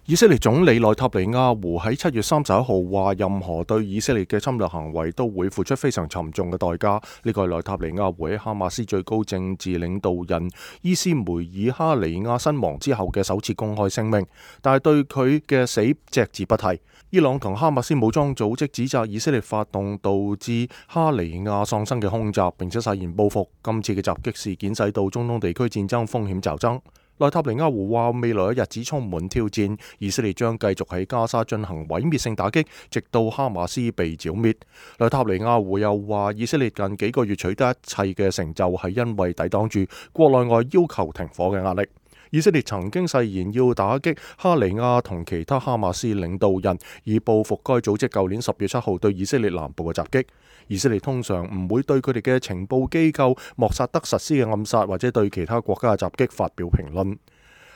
以色列總理內塔尼亞胡喺7月31號話，任何對以色列嘅侵略行為都會付出非常沉重嘅代價。呢個係內塔尼亞胡喺哈馬斯最高政治領導人伊斯梅爾哈尼亞身亡之後嘅首次公開聲明，但係對佢嘅死隻字不提。伊朗同哈馬斯武裝組織指責以色列發動導致哈尼亞喪生嘅空襲，並且誓言報復。今次嘅襲擊事件使到中東地區戰爭風險驟增。內塔尼亞胡話，未來嘅日子充滿挑戰，以色列將繼續喺加沙進行毀滅性打擊，直到哈馬斯被剿滅。內塔尼亞胡又話，以色列近幾個月取得一切嘅成就，係因為抵擋住國內外要求停火嘅壓力。以色列曾經誓言要打擊哈尼亞同其他哈馬斯領導人，以報復該組織舊年10月7號對以色列南部嘅襲擊。以色列通常唔會對佢哋嘅情報機構莫薩德實施嘅暗殺，或者對其他國家嘅襲擊發表評論。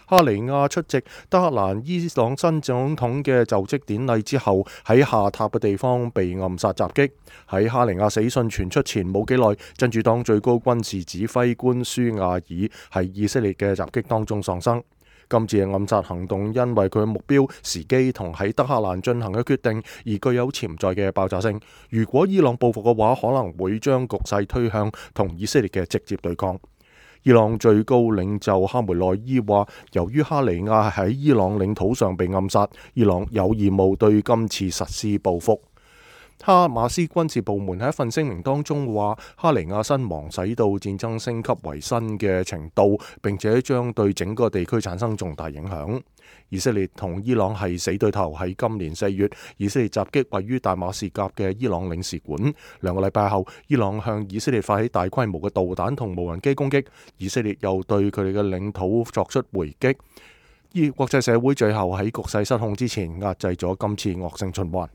哈尼亞出席德黑蘭伊朗新總統嘅就職典禮之後，喺下榻嘅地方被暗殺襲擊。喺哈尼亞死訊傳出前冇幾耐，真主黨最高軍事指揮官舒亞爾喺以色列嘅襲擊當中喪生。今次嘅暗殺行動因為佢嘅目標、時機同喺德黑蘭進行嘅決定而具有潛在嘅爆炸性。如果伊朗報復嘅話，可能會將局勢推向同以色列嘅直接對抗。伊朗最高領袖哈梅內伊話，由於哈尼亞喺伊朗領土上被暗殺，伊朗有義務對今次實施報復。哈馬斯軍事部門喺一份聲明當中話，哈尼亞身亡使到戰爭升級為新嘅程度，並且將對整個地區產生重大影響。以色列同伊朗係死對頭。喺今年4月，以色列襲擊位於大馬士革嘅伊朗領事館。2個禮拜後，伊朗向以色列發起大規模嘅導彈同無人機攻擊，以色列又對佢哋嘅領土作出回擊。國際社會最後喺局勢失控之前壓制咗今次惡性循環。